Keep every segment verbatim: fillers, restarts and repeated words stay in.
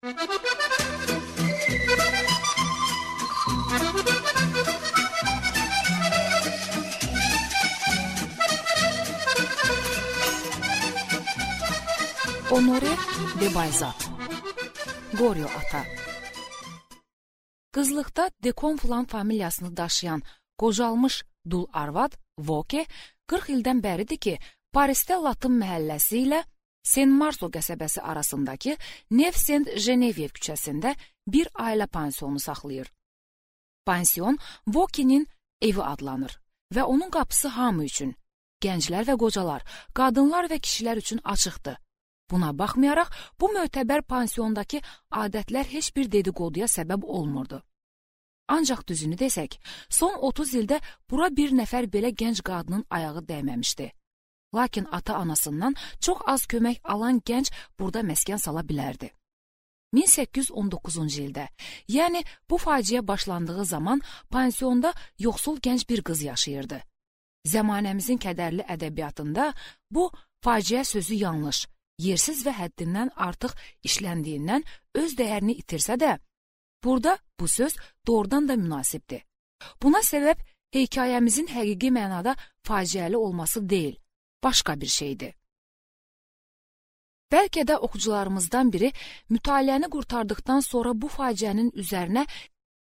Honoré de Balzac, Qoryo ata. Qızlıqda de Conflans familiyasını daşıyan qocalmış dul arvad Voke qırx ildən bəridir ki, Parisdə Latın məhəlləsi ilə Saint-Marceau qəsəbəsi arasındakı Neuf-Saint-Geneviève küçəsində bir ailə pansiyonu saxlayır. Pansiyon Voke'nin evi adlanır və onun qapısı hamı üçün, gənclər və qocalar, qadınlar və kişilər üçün açıqdır. Buna baxmayaraq, bu mötəbər pansiyondakı adətlər heç bir dedikoduya səbəb olmurdu. Ancaq düzünü desək, son otuz ildə bura bir nəfər belə gənc qadının ayağı dəyməmişdi. Lakin ata-anasından çox az kömək alan gənc burada məskən sala bilərdi. min səkkiz yüz on doqquzuncu ildə, yəni bu faciə başlandığı zaman pansiyonda yoxsul gənc bir qız yaşayırdı. Zəmanəmizin kədərli ədəbiyyatında bu faciə sözü yanlış, yersiz və həddindən artıq işləndiyindən öz dəyərini itirsə də, burada bu söz doğrudan da münasibdir. Buna səbəb hekayəmizin həqiqi mənada faciəli olması deyil, başqa bir şeydir. Bəlkə də oxucularımızdan biri mütaliəni qurtardıqdan sonra bu faciənin üzərinə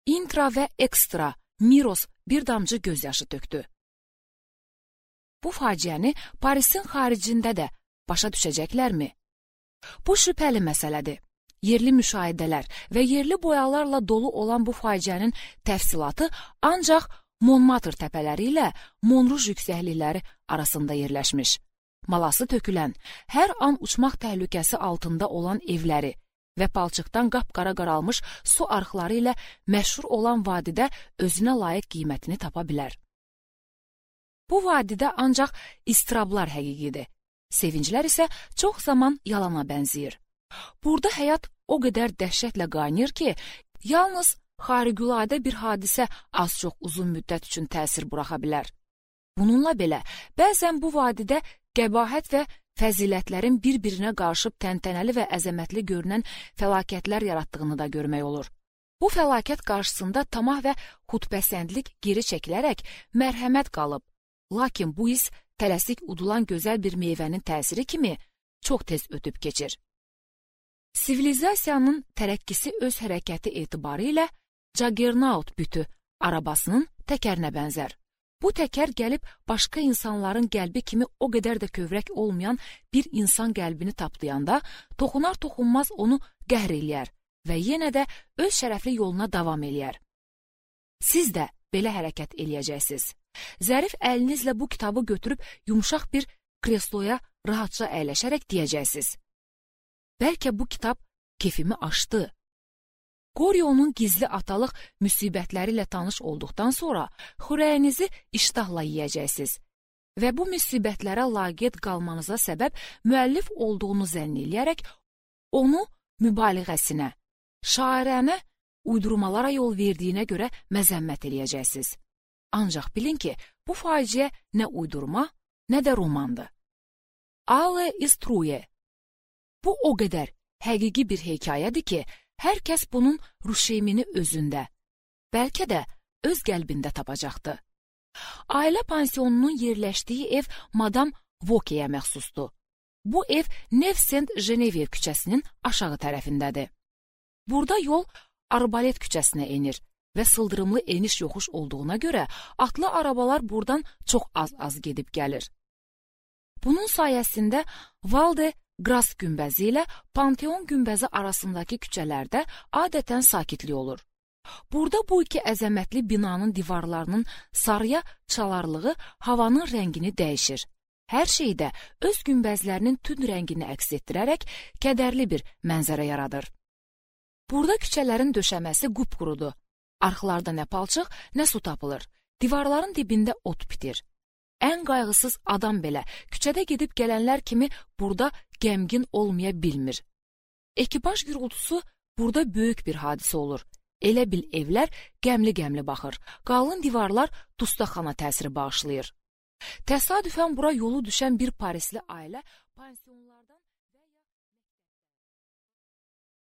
intra və ekstra, miros bir damcı gözyaşı tökdü. Bu faciəni Parisin xaricində də başa düşəcəklərmi? Bu şübhəli məsələdir. Yerli müşahidələr və yerli boyalarla dolu olan bu faciənin təfsilatı ancaq Montmartre təpələri ilə Montrouge yüksəklikləri arasında yerləşmiş. Malası tökülən, hər an uçmaq təhlükəsi altında olan evləri və palçıqdan qapqara qaralmış su arxları ilə məşhur olan vadidə özünə layiq qiymətini tapa bilər. Bu vadidə ancaq istirablar həqiqidir. Sevinclər isə çox zaman yalana bənzəyir. Burada həyat o qədər dəhşətlə qaynayır ki, yalnız xariqüladə bir hadisə az-çox uzun müddət üçün təsir buraxa bilər. Bununla belə, bəzən bu vadidə qəbahət və fəzilətlərin bir-birinə qarışıb təntənəli və əzəmətli görünən fəlakətlər yaratdığını da görmək olur. Bu fəlakət qarşısında tamah və xudpəsəndlik geri çəkilərək mərhəmət qalıb. Lakin bu his tələsik udulan gözəl bir meyvənin təsiri kimi çox tez ötüb keçir. Sivilizasiyanın tərəqqisi öz hərəkəti etibarı ilə Juggernaut bütü arabasının təkərinə bənzər. Bu təkər gəlib başqa insanların qəlbi kimi o qədər də kövrək olmayan bir insan qəlbini tapdayanda, toxunar-toxunmaz onu qəhr eləyər və yenə də öz şərəfli yoluna davam eləyər. Siz də belə hərəkət eləyəcəksiniz. Zərif əlinizlə bu kitabı götürüb yumşaq bir kresloya rahatca əyləşərək deyəcəksiniz. Bəlkə bu kitab kefimi aşdı. Qoryonun gizli atalıq müsibətləri ilə tanış olduqdan sonra xörəyinizi iştahla yeyəcəksiniz və bu müsibətlərə laqeyd qalmanıza səbəb müəllif olduğunu zənn eləyərək onu mübaliğəsinə, şairənə uydurmalara yol verdiyinə görə məzəmmət eləyəcəksiniz. Ancaq bilin ki, bu faciə nə uydurma, nə də romandır. Ale istruye. Bu o qədər həqiqi bir hekayədir ki, hər kəs bunun rüşeymini özündə, bəlkə də öz qəlbində tapacaqdır. Ailə pansiyonunun yerləşdiyi ev Madame Voke'yə məxsusdur. Bu ev Neuf-Saint-Geneviève küçəsinin aşağı tərəfindədir. Burada yol Arbalet küçəsinə enir və sıldırımlı eniş-yoxuş olduğuna görə atlı arabalar buradan çox az-az gedib gəlir. Bunun sayəsində Val de Grace günbəzi ilə Panteon günbəzi arasındakı küçələrdə adətən sakitlik olur. Burada bu iki əzəmətli binanın divarlarının sarıya çalarlığı havanın rəngini dəyişir. Hər şeydə öz günbəzlərinin tünd rəngini əks etdirərək kədərli bir mənzərə yaradır. Burada küçələrin döşəməsi qupqurudur. Arxlarda nə palçıq, nə su tapılır. Divarların dibində ot bitir. Ən qayğısız adam belə küçədə gedib gələnlər kimi burada qəmgin olmaya bilmir. Ekipaj gürültüsü burada böyük bir hadisə olur. Elə bil evlər qəmli-qəmli baxır. Qalın divarlar dustaqxana təsiri bağışlayır. Təsadüfən bura yolu düşən bir Parisli ailə pansiyonlardan